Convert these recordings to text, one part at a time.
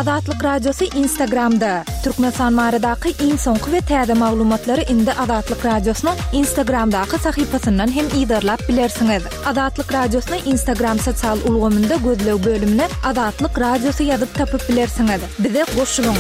Azatlyk Radiosy Instagramda! Türkmenistan baradaky iň soňky we täze maglumatlary indi Azatlyk Radiosynyň Instagramdaky sahypasyndan hem yzarlap bilersiňiz. Azatlyk Radiosyny Instagram sosial ulgamynda gözleg bölümine Azatlyk Radiosy ýazyp tapyp bilersiňiz. Bize goşulyň!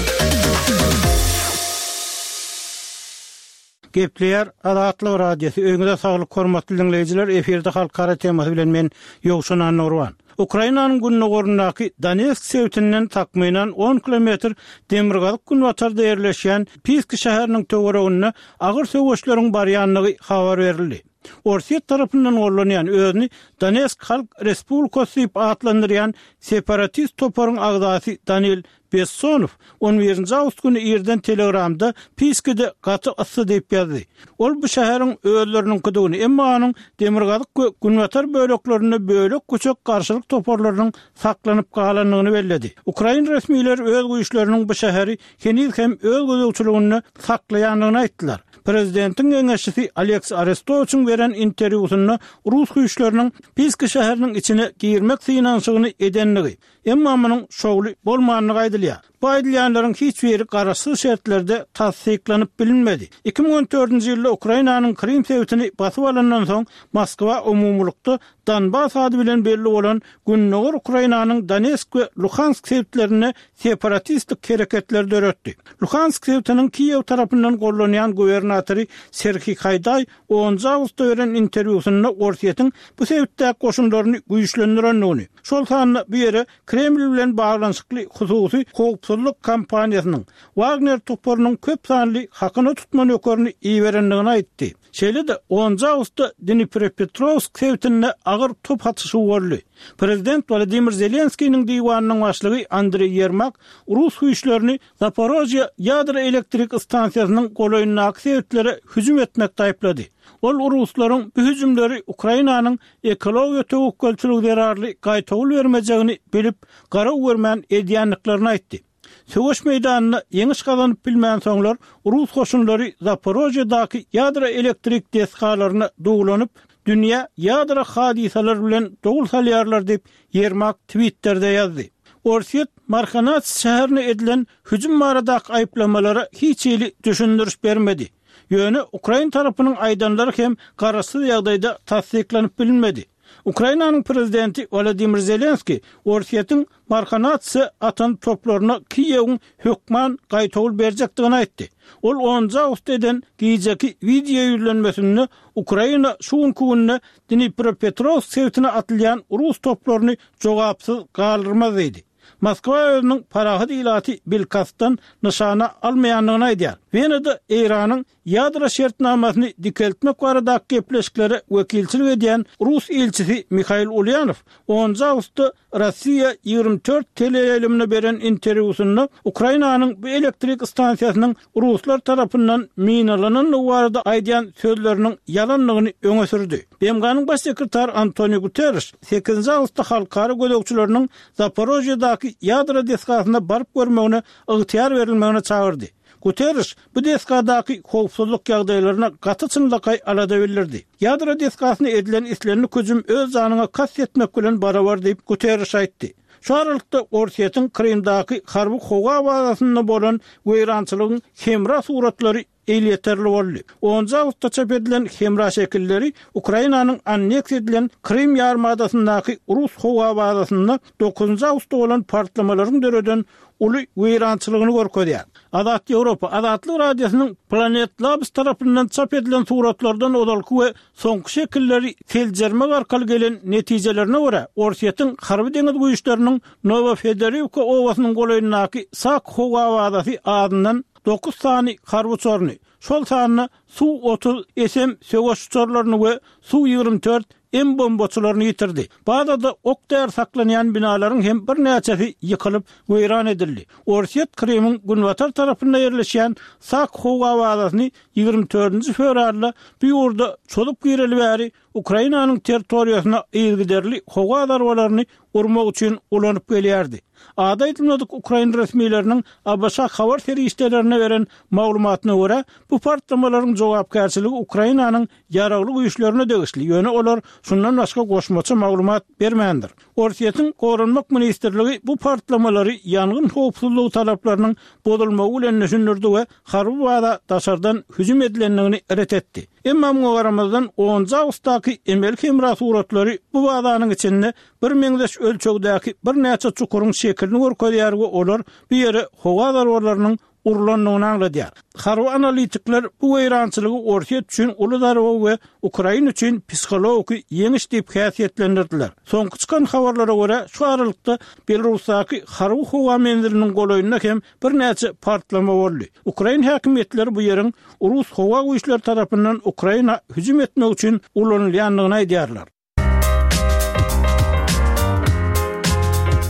Gepleýär Azatlyk Radiosy, Öýüňize saglyk hormatly diňleýjiler, efirde Halkara temasy bilen men Ýowşan Annagurban. Ukrainanyň gündogaryndaky Donetsk sebitinden takmynan on kilometr demirgazyk-günbatarda ýerleşýän Piski şäheriniň töwereginde agyr söweşleriň barýandygy habar berildi. Orsýet tarapyndan gollanýan, özüni Donetsk Halk Respublikasy diýip atlandyrýan separatist toparyň agzasy Danil Bessonow on birinji awgust güni irden Telegramda Piskide gaty yssy diýip ýazdy. Ol bu şäheriň özleriniňkidigini, emma onuň demirgazyk we günbatar böleklerinde bölek-küçek garşylyk toparlarynyň saklanyp galandygyny belledi. Ukrain resmileri öz güýçleriniň bu şäheri heniz hem öz gözegçiliginde saklaýandygyny aýtdylar. Prezidentiň geňeşçisi Oleksiý Arestowiçiň beren interwýusynda rus güýçleriniň Piski şäheriniň içine girmek synanyşygyny edendigi, Emma munuň şowly bolmandygy aýdylýar. Bu aýdylýanlaryň hiç biri garaşsyz şertlerde tassyklanyp bilinmedi. 2014-nji ýylda Ukrainanyň Krym sebitini basyp alandan soň, Moskwa umumylykda Donbas ady bilen belli bolan gündogar Ukrainanyň Donetsk we Luhansk sebitlerinde separatistik hereketleri döretdi. Luhansk sebitiniň Kiýew tarapyndan gollanýan gubernatory Serhiý Haýdaý Onunjy awgustda beren interwýusynda Orsýetiň bu sebitdäki goşunlaryny güýçlendirendigini, şol sanda bu ýere Kreml bilen baglanyşykly hususy howpsuzlyk kompaniýasynyň, Wagner toparynyň köp sanly hakyna tutma nökerini iberendigini aýtdy. Şeýle-de, onunjy awgustda Dniprepetrowsk sebitinde agyr top atyşygy boldy. Prezident Wladimir Zelenskiniň diwanynyň başlygy Andreý Ýermak rus güýçlerini Zaporožýe ýadro elektrik stansiýasynyň golaýyndaky sebitlere hüjüm etmekde aýyplady. Ol ruslaryň bu hüjümleri Ukrainanyň ekologiýa töwekgelçiligi zerarly gaýtawul bermejegini bilip, garaw görmän edýändiklerini aýtdy. Söweş meýdanynda ýeňiş gazanyp bilmänsoňlar, rus goşunlary Zaporožýedaky ýadro elektrik desgalaryna duwlanyp, dünýä ýadro hadysalary bilen dowul salýarlar diýip, Ýermak Twitterde ýazdy. Orsýet Marhanats şäherine edilen hüjüm baradaky aýyplamalara hiç hili düşündiriş bermedi. Ýöne ukrain tarapynyň aýdanlary hem garaşsyz ýagdaýda tassyklanyp bilinmedi. Ukrainanyň prezidenti Wolodymyr Zelenskiý Orsýetiň Marhanatse atan toplaryna Kiýewiň hökman gaýtawul berjekdigini aýtdy. Ol onunjy awgustda eden gijeki wideo ýüzlenmesinde Ukraina şu günki günde Dnipropetrowsk sebitine atylýan rus toplaryny jogapsyz galdyrmaz diýdi. Moskwa özüniň parahat ilaty bilkastdan nyşana almaýandygyny aýdýar. Wenada Eýranyň ýadro şertnamasyny dikeltmek baradaky gepleşiklere wekilçilik edýän rus ilçisi Mihail Ulýanow onunjy awgustda Rossiýa 24 teleýaýlymyna beren interwýusynda Ukrainanyň bu elektrik stansiýasynyň ruslar tarapyndan minalanandygy barada aýdýan sözleriniň ýalandygyny öňe sürdi. BMG-niň Baş sekretary Antoniu Guterreş sekizinji awgustda halkara gözegçileriniň Zaporožýedaky ýadro desgasyna baryp görmegine ygtyýar berilmegine çagyrdy. Guterriş bu desgadaky howpsuzlyk ýagdaýlaryna gaty çynlakaý alada bildirdi. Ýadro desgasyna edilen islendik hüjüm öz janyňa kast etmek bilen barabar diýip, Guterriş aýtdy. Şu aralykda, Orsýetiň Krymdaky harby howa bazasynda bolan weýrançylygyň hemra suratlary elýeterli boldy. Onunjy awgustda çap edilen hemra şekilleri Ukrainanyň anneksiýa edilen Krym ýarymadasyndaky rus howa bazasynda dokuzynjy awgustda bolan partlamalaryň döreden uly weýrançylygyny görkezýär. Azat Ýewropa, Azatlyk Radiosynyň Planet Labs tarapyndan çap edilen suratlardan ozalky we soňky şekilleri seljermek arkaly gelen netijelerine görä, Orsýetiň harby-deňiz güýçleriniň Nowofedoriwka obasynyň golaýyndaky Sak howa bazasy azyndan dokuz sany harby uçaryny, şol sanda Su-otuz SM söweş uçarlaryny we Su-24 M bombaçylaryny ýitirdi. Bazada ok-däri saklanýan binalaryň hem birnäçesi ýykylyp, weýran edildi. Orsýet Krymyň günbatar tarapynda ýerleşýän Sak howa bazasyny 24-nji fewralda bu ýurda çozup gireli bäri Ukrainanyň territoriýasyna yzygiderli howa zarbalaryny urmak üçin ulanyp gelýärdi. Ady aýdylmadyk ukrain resmileriniň ABŞ habar serişdelerine beren maglumatyna görä, bu partlamalaryň. jogapkärçiligi Ukrainanyň Ýaragly güýçlerine degişli, ýöne olar şundan başga goşmaça maglumat bermändir. Orsýetiň Goranmak ministrligi bu partlamalary ýangyn howpsuzlygy talaplarynyň bozulmagy bilen düşündirdi we harby baza daşardan hüjüm edilendigini ret etdi. Emma muňa garamazdan, onunjy awgustdaky emeli hemra suratlary bu bazanyň içinde birmeňzeş ölçegdäki birnäçe çukuryň şekilini görkezýär we olar bu ýere howa zarbalarynyň urlandygyny aňladýar. Harby analitikler bu weýrançylygy Orsýet üçin uly zarba we Ukraina üçin psihologiki ýeňiş diýip häsiýetlendirdiler. Soňky çykan habarlara görä, şu aralykda Belarusdaky harby howa menziliniň golaýynda hem birnäçe partlama boldy. Ukrain häkimiýetleri bu ýeriň rus howa güýçleri tarapyndan Ukraina hüjüm etmek üçin ulanylýandygyny aýdýarlar.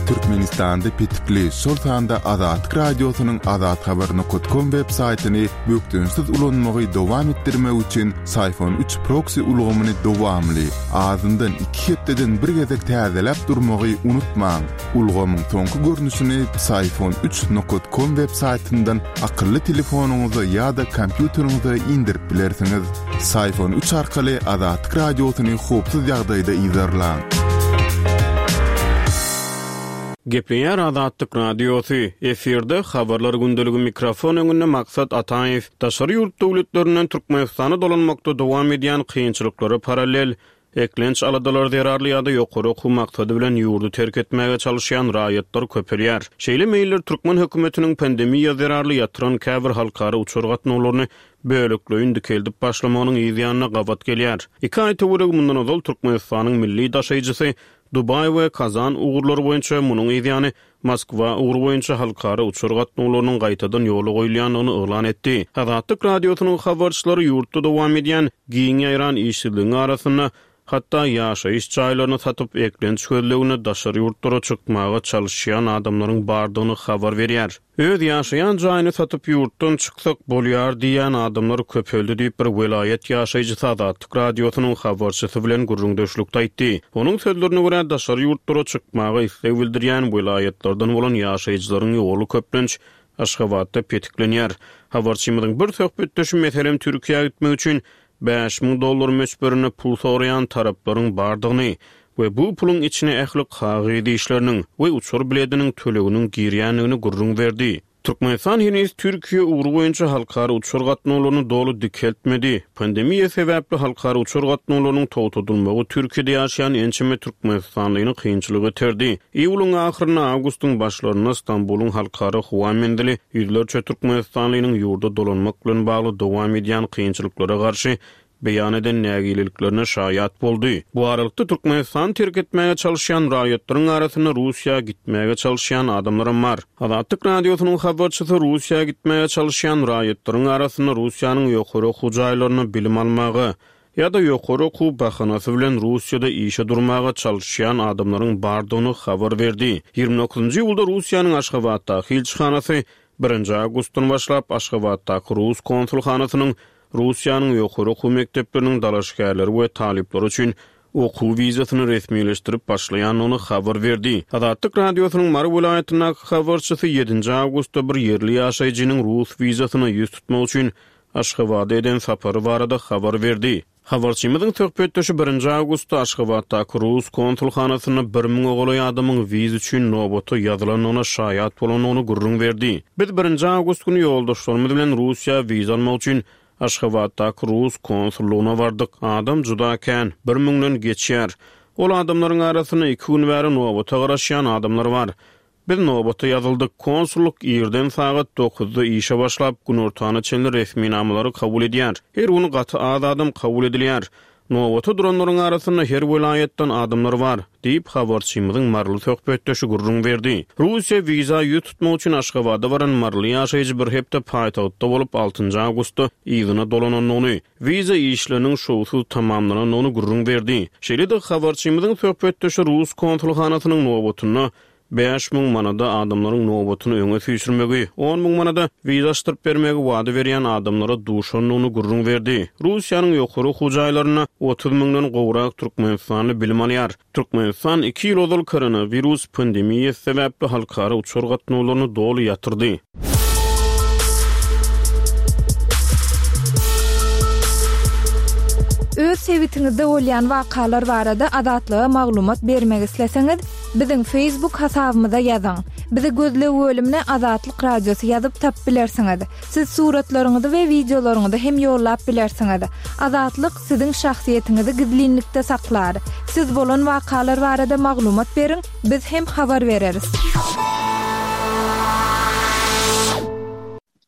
Türkmenistanda petikli, şol sanda Azatlyk Radiosynyň azathabar.com web saýtyny bökdençsiz ulanmagy dowam etdirmek üçin Syfon 3 proksi ulgamyny dowamly, azyndan iki hepdeden bir gezek täzeläp durmagy unutmaň. Ulgamyň soňky görnüşini Psiphon 3 nokat com web saýtyndan akylly telefonyňyza ýa-da kompýuteriňize indirip bilersiňiz. Psiphon 3 arkaly Azatlyk Radiosyny howpsuz ýagdaýda yzarlaň. Gepleýär Azatlyk Radiosy, efirde Habarlar gündeligi mikrofon öňünde Maksat Ataýew. Daşary ýurt döwletlerinden Türkmenistana dolanmakda dowam edýän kynçylyklara parallel, Eklenç aladalary zerarly ýa-da ýokary okuw maksady bilen ýurdy terk etmäge çalyşýan raýatlar köpelýär. Şeýle meýiller türkmen hökümetiniň pandemiýa zerarly ýatyran käbir halkara uçar gatnawlaryny bölekleýin dikeldip başlamagynyň yz ýanyna gabat gelýär. Iki aý töweregi mundan ozal Türkmenistanyň milli daşaýjysy Dubaý we Kazan ugurlary boýunça, munuň yz ýany Moskwa ugry boýunça halkara uçar gatnawlarynyň gaýtadan ýola goýulýandygyny yglan etdi. Azatlyk Radiosynyň habarçylary ýurtda dowam edýän giň ýaýran işsizligiň arasynda, hatda ýaşaýyş jaýlaryny satyp, eklenç gözleginde daşary ýurtlara çykmaga çalyşýan adamlaryň bardygyny habar berýär. Öz ýaşaýan jaýyny satyp ýurtdan çyksak bolýar diýýän adamlar köpeldi diýip, bir welaýat ýaşaýjysy Azatlyk Radiosynyň habarçysy bilen gürrüňdeşlikde aýtdy. Onuň sözlerine görä, daşary ýurtlara çykmaga isleg bildirýän welaýatlardan bolan ýaşaýjylaryň ýoly köplenç Aşgabatda petiklenýär. Habarçymyzyň bir söhbetdeşi, meselem, Türkiýä gitmek üçin 5000 dollar möçberinde pul soraýan taraplaryň bardygyny we bu puluň içine ähli kagyz işleriniň we uçar bilediniň töleginiň girýändigini gürrüň berdi. Türkmenistan heniz Türkiýe ugry boýunça halkara uçar gatnawlaryny doly dikeltmedi. Pandemiýa sebäpli halkara uçar gatnawlarynyň togtadylmagy Türkiýede ýaşaýan ençeme türkmenistanlyny kynçylyga iterdi. Iýulyň ahyrynda, awgustyň başlarynda Stambulyň halkara howa menzili ýüzlerçe türkmenistanlynyň ýurda dolanmak bilen bagly dowam edýän kynçylyklara garşy beýan eden nägileliklerine şaýat boldy. Bu aralykda, Türkmenistany terk etmäge çalyşýan raýatlaryň arasynda Russiýa gitmäge çalyşýan adamlaram bar. Azatlyk Radiosynyň habarçysy Russiýa gitmäge çalyşýan raýatlaryň arasynda Russiýanyň ýokary okuw jaýlarynda bilim almaga ýa-da ýokary okuw bahanasy bilen Russiýada işe durmaga çalyşýan adamlaryň bardygyny habar berdi. 29-njy iýulda Russiýanyň Aşgabatdaky ilçihanasy birinji awgustdan başlap Aşgabatdaky rus konsulhanasynyň Russiýanyň ýokary okuw mekdepleriniň dalaşgärleri we talyplary üçin okuw wizasyny resmileşdirip başlaýandygyny habar berdi. Azatlyk Radiosynyň Mary welaýatyndaky habarçysy ýedinji awgustda bir ýerli ýaşaýjynyň rus wizasyna ýüz tutmak üçin Aşgabada eden sapary barada habar berdi. Habarçymyzyň söhbetdeşi birinji awgustda Aşgabatdaky rus konsulhanasynda bir müňe golaý adamyň wiza üçin nobata ýazylandygyna şaýat bolandygyny gürrüň berdi. Biz birinji awgust güni ýoldaşlarymyz bilen Russiýa wiza almak üçin Aşgabatdaky rus konsullygyna bardyk. Adam juda kän, bir müňden geçýär. Ol adamlaryň arasynda iki gün bäri nobata garaşýan adamlar bar. Biz nobata ýazyldyk. Konsullyk irden sagat dokuzda işe başlap, günortana çenli resminamalary kabul edýär. Her gün gaty az adam kabul edilýär. Nobata duranlaryň arasynda her welaýatdan adamlar bar, diýip, habarçymyzyň maryly söhbetdeşi gürrüň berdi. Russiýa wiza ýüz tutmak üçin Aşgabada baran maryly ýaşaýjy bir hepde paýtagtda bolup, altynjy awgustda yzyna dolanandygyny, wiza işleriniň şowsuz tamamlanandygyny gürrüň berdi. Şeýle-de, habarçymyzyň söhbetdeşi rus konsulhanasynyň nobatynda 5000 manada adamlaryň nobatyny öňe süýşürmegi, 10 000 manada wiza açdyryp bermegi wada berýän adamlara duşandygyny gürrüň berdi. Russiýanyň ýokary okuw jaýlarynda 30 müňden gowrak türkmenistanly bilim alýar. Türkmenistan iki ýyl ozal koronawirus pandemiýasy sebäpli halkara uçar gatnawlaryny doly ýatyrdy. Öz sebitiňizde bolýan wakalar barada Azatlyga maglumat bermek isleseňiz, biziň Facebook hasabymyza ýazyň. Bizi gözleg bölümine Azatlyk Radiosy ýazyp tapyp bilersiňiz. Siz suratlaryňyzy we wideolaryňyzy hem ýollap bilersiňiz. Azatlyk siziň şahsyýetiňizi gizlinlikde saklar. Siz bolan wakalar barada maglumat beriň, biz hem habar bereris.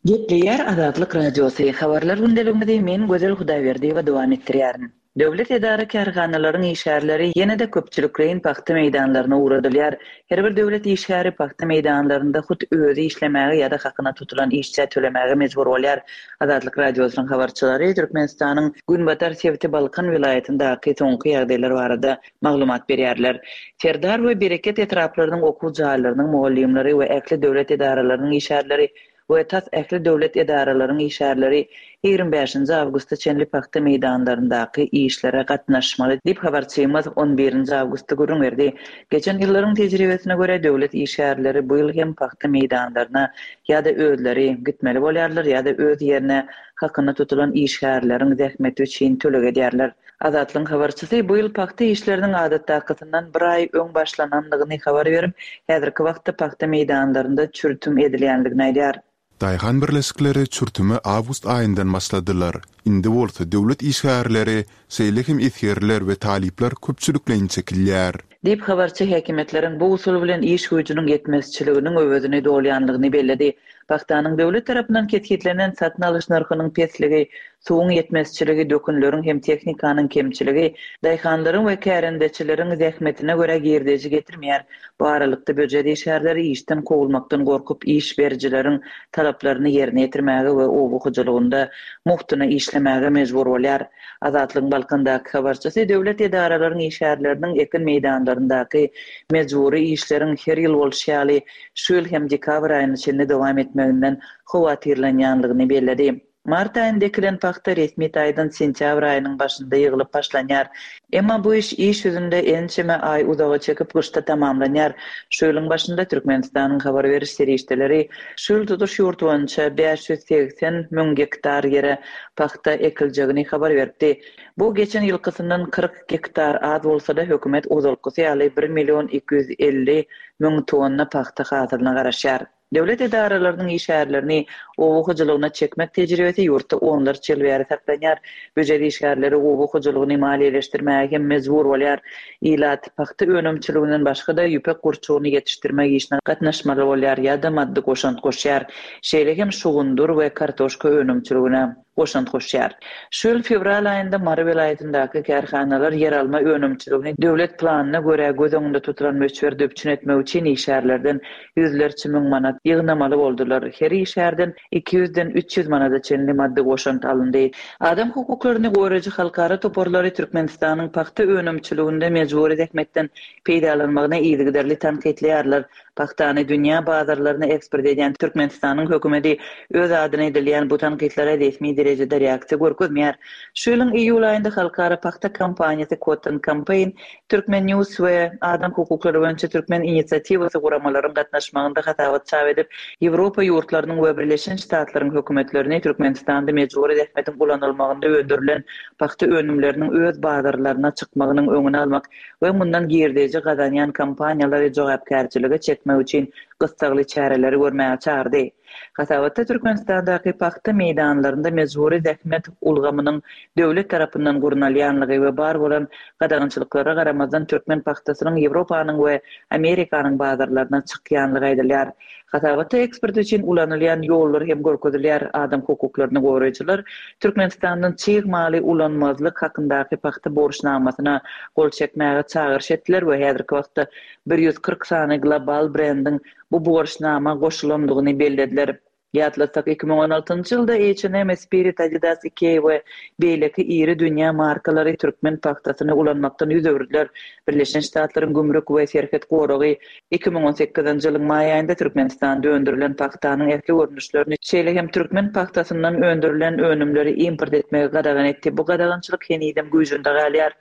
Gepleýär Azatlyk Radiosy, Habarlar gündeligimizi men Gözel Hudaýberdiýewa dowam etdirýärin. Döwlet edara-kärhanalaryň işgärleri ýene-de köpçülikleýin pagta meýdanlaryna ugradylýar. Her bir döwlet işgäri pagta meýdanlarynda hut özi işlemäge ýa-da hakyna tutulan işçä tölemäge mejbur bolýar. Azatlyk Radiosynyň habarçylary Türkmenistanyň günbatar sebiti Balkan welaýatyndaky soňky ýagdaýlar barada maglumat berýärler. Serdar we Bereket etraplarynyň okuw jaýlarynyň mugallymlary we ähli döwlet edaralarynyň işgärleri we tas ähli döwlet edaralaryň işgärleri 25-nji awgusta çenli pagta meýdanlaryndaky işlere gatnaşmaly diýip, habarçymyz on birinji awgustda gürrüň berdi. Geçen ýyllaryň tejribesine görä, döwlet işgärleri bu ýyl hem pagta meýdanlaryna ýa-da özleri gitmeli bolýarlar, ýa-da öz ýerine hakyna tutulan işgärleriň zähmeti üçin töleg edýärler. Azatlygyň habarçysy bu ýyl pagta işleriniň adatdakysyndan bir aý öň başlanandygyny habar berip, häzirki wagtda pagta meýdanlarynda çürtüm edilýändigini aýdýar. Daýhan birleşikleri çürtüme awgust aýyndan başladylar. Indi bolsa döwlet işgärleri, şeýle hem esgerler we talyplar köpçülikleýin çekilýär. Diýip, habarçy häkimiýetleriň bu usul bilen iş güýjüniň ýetmezçiliginiň öwezini dolýanlygyny belledi. Pagtanyň döwlet tarapyndan kesgitlenen satyn alyş nyrhynyň pesligi, suwuň ýetmezçiligi, dökünleriň hem tehnikanyň kemçiligi daýhanlaryň we kärendeçileriň zähmetine görä girdeji getirmeýär. Bu aralykda býujet işgärleri işden kowulmakdan gorkup iş berijileriň talaplaryny ýerine ýetirmäge we oba hojalygynda mugtuna işlemäge mejbur bolýar. Azatlygyň Balkandaky habarçysy döwlet edaralaryň işgärleriniň ekin meýdanlaryndaky mejbury işleriň her ýyl bolşy ýaly şu ýyl hem dekabr aýyna çenli dowam etmeginden howatyrlanýanlygyny belledi. Mart aýynda ekilen pagta resmi taýdan sentýabr aýynyň başynda ýygylyp başlanýar. Emma bu iş iş ýüzünde ençeme aý uzaga çekip gyşda tamamlanýar. Şu ýylyň başynda Türkmenistanyň habar beriş serişdeleri şu ýyl tutuş ýurt boýunça 580 müň gektar ýere pagta ekiljegini habar beripdi. Bu geçen ýylkysyndan 40 gektar az bolsa-da, hökümet ozalkysy ýaly bir million 250 müň tonna pagta hasylyna garaşýar. Döwlet edaralarynyň işgärlerini oba hojalygyna çekmek tejribesi ýurtda onlarça ýyl bäri saklanýar. Býujet işgärleri oba hojalygyny maliýeleşdirmäge hem mejbur bolýar. Ilat pagta önümçiliginden başga-da ýüpek gurçugyny ýetişdirmek işine gatnaşmaly bolýar ýa-da maddy goşant goşýar. Şeýle hem şugundyr we kartoşka önümçiligine. goşant goşýar. Şu ýyl fewral aýynda Mary welaýatyndaky kärhanalar ýeralma önümçiligini döwlet planyna görä göz öňünde tutulan möçberde üpjün etmek üçin işgärlerden ýüzlerçe müň manat ýygnamaly boldular. Her işgärden iki ýüzden 300 manada çenli maddy goşant alyndy. Adam hukuklaryny goraýjy halkara toparlary Türkmenistanyň pagta önümçiliginde mejbury zähmetden peýdalanmagyny yzygiderli tankytlaýarlar. Pagtany dünýä bazarlaryna eksport edýän Türkmenistanyň hökümeti öz adyna edilýän bu tankytlara resmi derejede reaksiýa görkezmeýär. Şu ýylyň iýul aýynda halkara pagta kampaniýasy Cotton Campaign, Turkmen News we Adam hukuklary boýunça Türkmen inisiatiwasy guramalaryň gatnaşmagynda hasabat çap edip, Ýewropa ýurtlarynyň we Birleşen Ştatlaryň hökümetlerini Türkmenistanda mejbury zähmetiň ulanylmagynda öndürilen pagta önümleriniň öz bazarlaryna çykmagynyň öňüni almak we mundan girdeji gazanýan kompaniýalary jogapkärçilige çekmek üçin gyssagly çäreleri görmäge çagyrdy. Hasabatda Türkmenistandaky pagta meýdanlarynda mejbury zähmet ulgamynyň döwlet tarapyndan gurnalýanlygy we bar bolan gadagançylyklara garamazdan türkmen pagtasynyň Ýewropanyň we Amerikanyň bazarlaryna çykýanlygy aýdylýar. Hasabatda eksport üçin ulanylýan ýollar hem görkezilýär, adam hukuklaryny goraýjylar Türkmenistandan çig maly ulanmazlyk hakyndaky pagta borçnamasyna gol çekmäge çagyryş etdiler we häzirki wagtda 140 sany global brendiň bu borçnama goşulandygyny bellediler. Ýatlatsak, 2016-njy ýylda H&M, Esprit, Adidas, Ikea we beýleki iri dünýä markalary türkmen pagtasyny ulanmakdan ýüz öwürdiler. Birleşen Ştatlaryň Gümrük we serhet goragy 2018-nji ýylyň maý aýynda Türkmenistanda öndürilen pagtanyň ähli görnüşlerini, şeýle hem türkmen pagtasyndan öndürilen önümleri import etmegi gadagan etdi. Bu gadagançylyk henizem güýjünde galýar.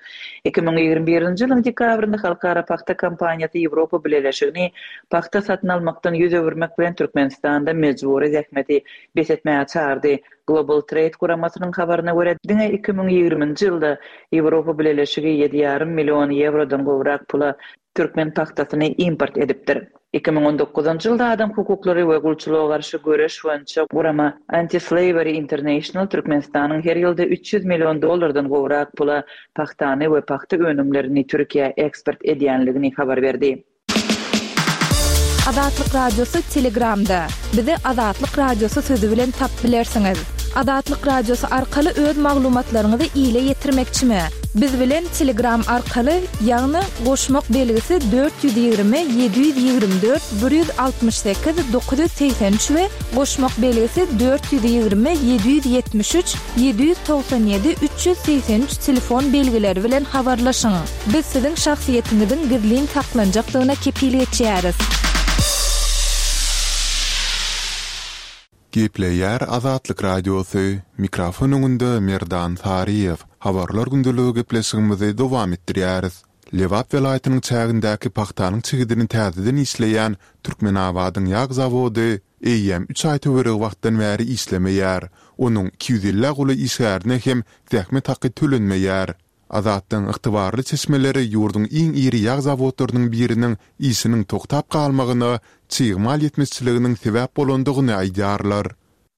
2021-nji ýylyň dekabrynda Halkara pagta kampaniýasy Ýewropa Bileleşigini pagta satyn almakdan ýüz öwürmek bilen Türkmenistanda mejbury. zähmeti bes etmäge çagyrdy. Global Trade guramasynyň habaryna görä, diňe 2020-nji ýylda Ýewropa Bileleşigi ýedi ýarym million ýewrodan gowrak pula türkmen pagtasyny import edipdir. 2019-njy ýylda adam hukuklary we gulçulyga garşy göreş boýunça gurama Anti-Slavery International Türkmenistanyň her ýylda 300 million dollardan gowrak pula pagtany we pagta önümlerini Türkiýä eksport edýänligini habar berdi. Azatlyk Radiosy Telegramda. Bizi Azatlyk Radiosy sözi bilen tapyp bilersiňiz. Azatlyk Radiosy arkaly öz maglumatlaryňyzy ile ýetirmekçimi? Biz bilen Telegram arkaly, ýagny goşmak belgisi 420 724 168 983 we goşmak belgisi 420 773 797 383 telefon belgileri bilen habarlaşyň. Biz siziň şahsyýetiňiziň gizlin saklanjakdygyna kepil geçýäris. Gepleýär Azatlyk Radiosy, mikrofon öňünde Merdan Saryýew. Habarlar gündeligi gepleşigimizi dowam etdirýäris. Lebap welaýatynyň çägindäki pagtanyň çigidini täzeden işleýän Türkmenabadyň ýag zawody eýýäm üç aý töweregi wagtdan bäri işlemeýär. Onuň 250 golaý işgärine hem zähmet haky tölenmeýär. Azatlygyň ygtybarly çeşmeleri ýurduň iň iri ýag zawodlarynyň biriniň işiniň toktap galmagyna çig mal ýetmezçiliginiň sebäp bolandygyny aýdýarlar.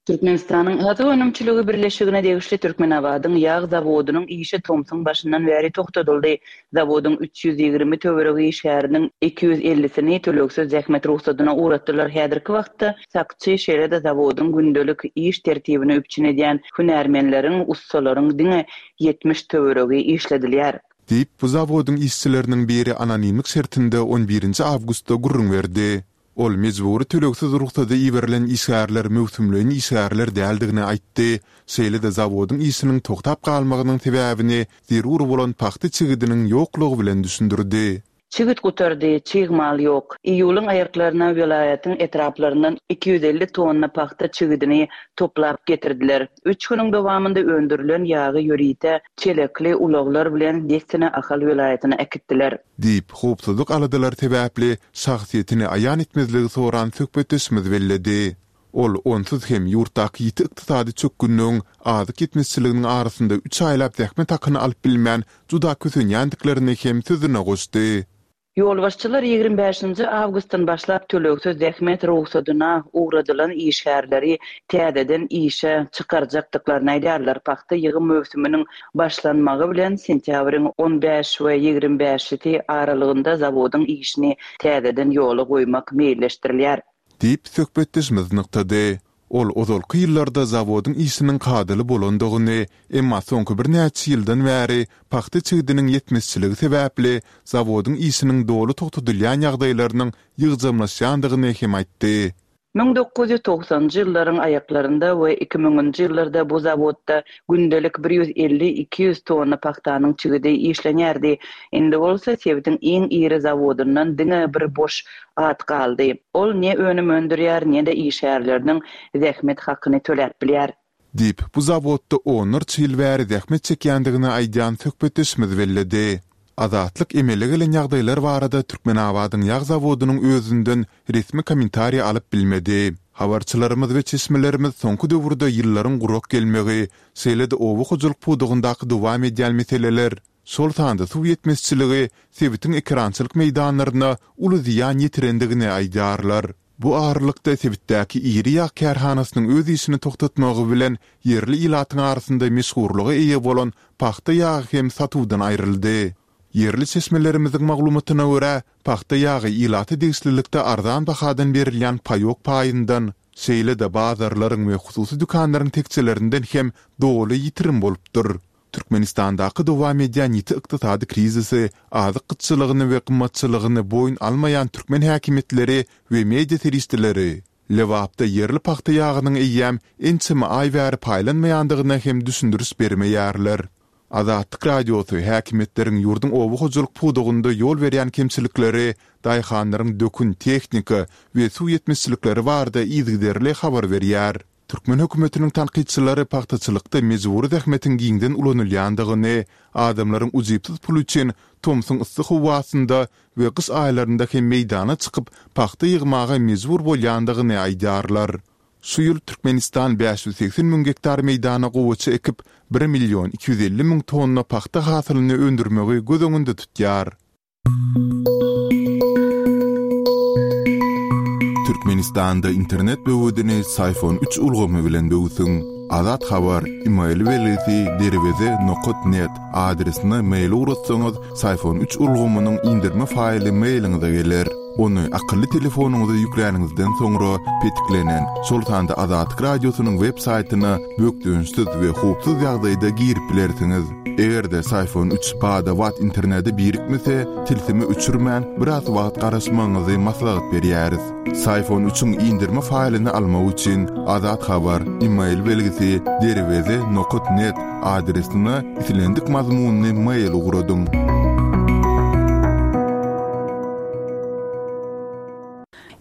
Türkmenistanyň Azyk önümçiligi birleşigine degişli Türkmenabadyň ýag zawodynyň işi tomsuň başyndan bäri togtadyldy. Zawodyň 320 töweregi işgäriniň 250-sini tölegsiz zähmet rugsadyna ugratdylar. Häzirki wagtda sakçy, şeýle-de zawodyň gündelik iş tertibini üpjün edýän hünärmenleriň, ussalaryň diňe 70 töweregi işledilýär. Diýip, bu zawodyň işçileriniň biri anonimlik şertinde on birinji awgustda gürrüň berdi. Ol mejbury tölegsiz rugsada iberilen işgärler möwsümleýin işgärler däldigini aýtdy, şeýle-de zawodyň işiniň togtap galmagynyň sebäbini zerur bolan pagta çigidiniň ýoklugy bilen düşündirdi. Çigit gutardy, çig mal ýok. Iýulyň aýaklaryna welaýatyň etraplaryndan 250 tonna pagta çigidini toplap getirdiler. Üç günüň dowamynda öndürilen ýagy ýörite çelekli ulaglar bilen dessine Ahal welaýatyna äkitdiler. Diýip, howpsuzlyk aladalary sebäpli şahsyýetini aýan etmezligi soran söhbetdeşimiz belledi. Ol onsuz hem ýurtdaky ýiti ykdysady çökgünligiň, azyk ýetmezçiliginiň arasynda üç aýlap zähmet hakyny alyp bilmän juda kösenýändiklerini hem sözüne goşdy. Ýolbaşçylar 25 nji awgustdan başlap tölegsiz zähmet rugsadyna ugradylan işgärleri täzeden işe çykarjakdyklaryny aýdýarlar. Pagta ýygym möwsüminiň başlanmagy bilen sentýabryň on bäş we 25-si aralygynda zawodyň işini täzeden ýola goýmak meýilleşdirilýär. Diýip, söhbetdeşimiz nygtady. Ol ozalky ýyllarda zawodyň işiniň kadaly bolandygyny, emma soňky birnäçe ýyldan bäri pagta çigidiniň ýetmezçiligi sebäpli zawodyň işiniň doly togtadylýan ýagdaýlarynyň ýygjamlaşýandygyny hem aýtdy. 1990-njy ýyllaryň aýaklarynda we iki müňünji ýyllarda bu zawodda gündelik bir ýüz elli-iki ýüz tonna pagtanyň çigidi işlenýärdi. Indi bolsa sebitiň iň iri zawodyndan diňe bir boş at galdy. Ol ne önüm öndürýär, ne-de işgärleriniň zähmet hakyny töläp bilýär. Diýip, bu zawodda onlarça ýyl bäri zähmet çekýändigini aýdýan söhbetdeşimiz belledi. Azatlyk emele gelen ýagdaýlar barada Türkmenabadyň ýag zawodynyň özünden resmi kommentariý alyp bilmedi. Habarçylarymyz we çeşmelerimiz soňky döwürde ýyllaryň gurak gelmegi, şeýle-de oba hojalyk pudagyndaky dowam edýän meseleler, şol sanda suw ýetmezçiligi sebitiň ekerançylyk meýdanlaryna uly zyýan ýetirendigini aýdýarlar. Bu aralykda, sebitdäki iri ýag kärhanasynyň öz işini togtatmagy bilen ýerli ilatyň arasynda meşhurlyga eýe bolan pagta ýagy hem satuwdan aýryldy. Ýerli çeşmelerimiziň maglumatyna görä, pagta ýagy ilata degişlilikde arzan bahadan berilýän paýok paýyndan, şeýle-de bazarlaryň we hususy dükanlaryň tekjelerinden hem doly ýitirim bolupdyr. Türkmenistandaky dowam edýän ýiti ykdysady krizisi, azyk gytçylygyny we gymmatçylygyny boýun almaýan türkmen häkimiýetleri we media serişdeleri Lebapda ýerli pagta ýagynyň eýýäm ençeme aý bäri paýlanmaýandygyna hem düşündiriş bermeýärler. Azatlyk Radiosy häkimiýetleriň ýurduň oba hojalyk pudagynda ýol berýän kemçilikleri, daýhanlaryň dökün, tehnika we suw ýetmezçilikleri barada yzygiderli habar berýär. Türkmen hökümetiniň tankytçylary pagtaçylykda mejbury zähmetiň giňden ulanylýandygyny, adamlaryň ujypsyz pul üçin tomsuň yssy howasynda we gyş aýlarynda hem meýdana çykyp, pagta ýygmaga mejbur bolýandygyny aýdýarlar. Şu ýyl Türkmenistan 580 müň gektar meýdana gowaça ekip, bir million 250 müň tonna pagta hasylyny öndürmegi göz öňünde tutýar. Türkmenistanda internet böwedini Syfon üç ulgamy bilen böwsüň. Azat Habar, email belgisi derweze nokat net adresine mail ugratsaňyz, Syfon üç ulgamynyň indirme faýly mailiňize geler. Ony akylly telefonyňyza ýükläniňizden soňra petiklenen, şol sanda Azatlyk Radiosynyň web saýtyna bökdençsiz we howpsuz ýagdaýda girip bilersiňiz. Eger-de Syfon üç bada-bat internete birikmese, tilsimi öçürmän, biraz wagt garaşmagyňyzy maslahat berýäris. Syfon üçiň indirme faýlyny almak üçin Azat Habar, email belgisi, derweze nokat net adresine islendik mazmunly mail ugradyň.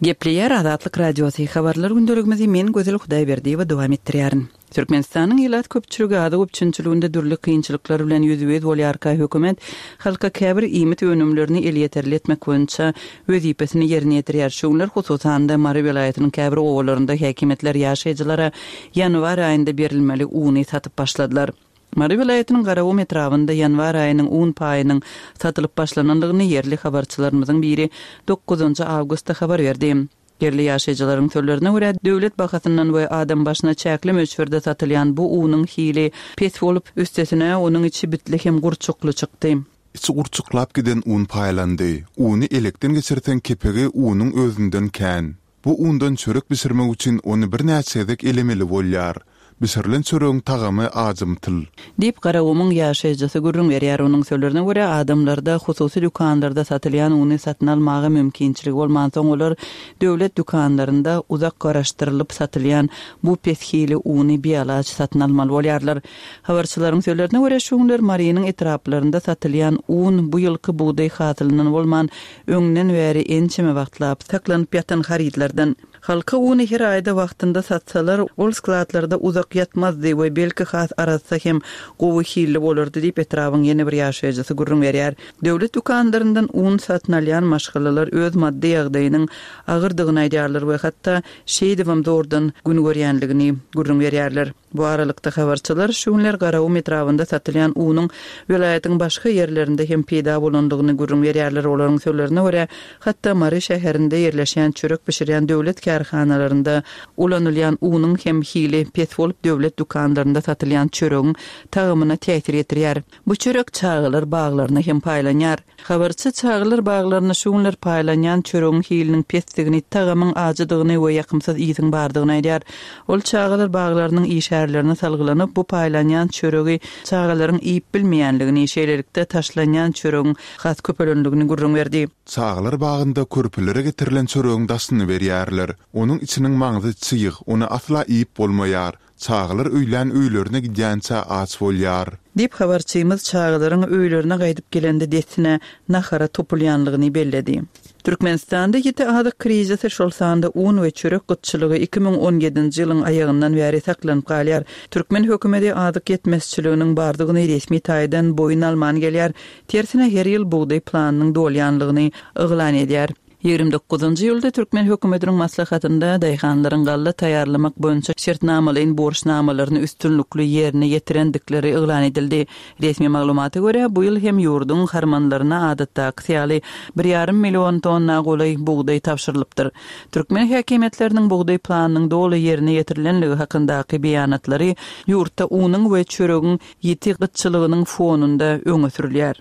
Gepleýär Azatlyk Radiosy, Habarlar gündeligimizi men Gözel Hudaýberdiýewa dowam etdirýärin. Türkmenistanyň ilat köpçüligi azyk üpjünçiliginde dürli kynçylyklar bilen ýüzbe-ýüz bolýarka, hökümet halka käbir iýmit önümlerini elýeterli etmek boýunça wezipesini ýerine ýetirýär. Şu günler, hususan-da, Mary welaýatynyň käbir obalarynda häkimiýetler ýaşaýjylara ýanwar aýynda berilmeli uny satyp başladylar. Mary welaýatynyň Garagum etrabynda ýanwar aýynyň un paýynyň satylyp başlanandygyny ýerli habarçylarymyzyň biri dokuzynjy awgustda habar berdi. Ýerli ýaşaýjylaryň sözlerine görä, döwlet bahasyndan we adam başyna çäkli möçberde satylýan bu unuň hili pes bolup, üstesine, onuň içi bitli hem gurçukly çykdy. Içi gurçuklap giden un paýlandy. Uny elekden geçirseň kepegi unuň özünden kän. Bu undan çörek bişirmek üçin ony birnäçe gezek elemeli bolýar. Bişirilen çöregiň tagamy ajymtyl. Diýip, Garagumuň ýaşaýjysy gürrüň berýär. Onuň sözlerine görä, adamlarda hususy dükanlarda satylýan uny satyn almaga mümkinçiligi bolmansoň, olar döwlet dükanlarynda uzak garaşdyrylyp satylýan bu pes hili uny bialaç satyn almaly bolýarlar. Habarçylaryň sözlerine görä, şu günler Marynyň etraplarynda satylýan un bu ýylky bugdaý hasylyndan bolman, öňden bäri ençeme wagtlap saklanyp ýatan harytlardan. Halka uny her aýda wagtynda satsalar, ol skladlarda uzak ýatmazdy we belki has arassa hem gowy hilli bolardy diýip, etrabyň ýene bir ýaşaýjysy gürrüň berýär. Döwlet dükanlaryndan un satyn alýan maşgalalar öz maddy ýagdaýynyň agyrdygyny aýdýarlar we hatda şeýdibem zordan gün görýänligini gürrüň berýärler. Bu aralykda, habarçylar şu günler Garagum etrabynda satylýan unuň welaýatyň başga ýerlerinde hem peýda bolandygyny gürrüň berýärler. Olaryň sözlerine görä, hatda Mary şäherinde ýerleşýän çörek bişirýän döwlet kärhanalarynda ulanylýan unuň hem hili pes bolup, döwlet dükanlarynda satylýan çöregiň tagamyna täsir ýetirýär. Bu çörek çagalar baglaryna hem paýlanýar. Habarçy çagalar baglarynda şu günler paýlanýan çöregiň hiliniň pesdigini, tagamyň ajydygyny we ýakymsyz ysyň bardygyny aýdýar. Ol çagalar baglarynyň işgärlerine salgylanyp, bu paýlanýan çöregi çagalaryň iýip bilmeýänligini, şeýlelikde, taşlanýan çöregiň has köpelendigini gürrüň berdi. Çagalar bagynda körpelere getirilen çöregiň daşyny berýärler. Onuň içiniň maňzy çyg, ony asla iýip bolmaýar. Çagalar öýlän öýlerine gidýänçä aç bolýar. Diýip, habarçymyz çagalaryň öýlerine gaýdyp gelende dessine nahara topulýanlygyny belledi. Türkmenistanda ýiti azyk krizisi, şol sanda un we çörek gytçylygy 2017-nji ýylyň aýagyndan bäri saklanyp galýar. Türkmen hökümeti azyk ýetmezçiliginiň bardygyny resmi taýdan boýun alman gelýär. Tersine, her ýyl bugdaý planynyň dolýanlygyny yglan edýär. 29-njy iýulda türkmen hökümetiniň maslahatynda daýhanlaryň galla taýýarlamak boýunça şertnamalaýyn borçnamalaryny üstünlikli ýerine ýetirendikleri yglan edildi. Resmi maglumata görä, bu ýyl hem ýurduň harmanlaryna adatdakysy ýaly bir ýarym million tonna golaý bugdaý tabşyrylypdyr. Türkmen häkimiýetleriniň bugdaý planynyň doly ýerine ýetirilenligi hakyndaky beýanatlary ýurtda unuň we çöregiň ýiti gytçylygynyň fonunda öňe sürülýär.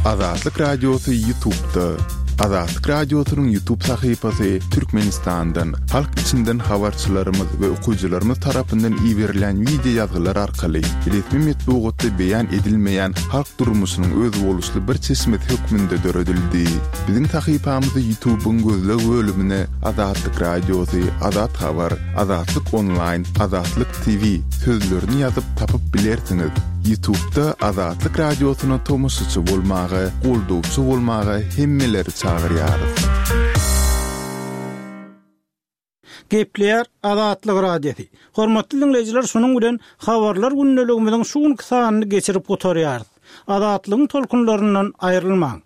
Azatlyk Radiosy Ýutubda. Azatlyk Radiosynyň Ýutub sahypasy Türkmenistandan, halk içinden habarçylarymyz we okyjylarymyz tarapyndan iberilýän wideo ýazgylar arkaly resmi metbugatda beýan edilmeýän halk durmuşynyň özboluşly bir çeşmesi hökmünde döredildi. Biziň sahypamyzy Ýutubyň gözleg bölümine Azatlyk Radiosy, Azat Habar, Azatlyk Onlaýn, Azatlyk TV sözlerini ýazyp tapyp bilersiňiz. Ýutubda Azatlyk Radiosyna tomaşaçy bolmaga, goldawçy bolmaga hemmeleri çagyrýarys. Gepleýär Azatlyk Radiosy. Hormatly diňleýjiler şunuň bilen Habarlar gündeligimiziň şu günki sanyny geçirip gutarýarys. Azatlygyň tolkunlaryndan aýrylmaň.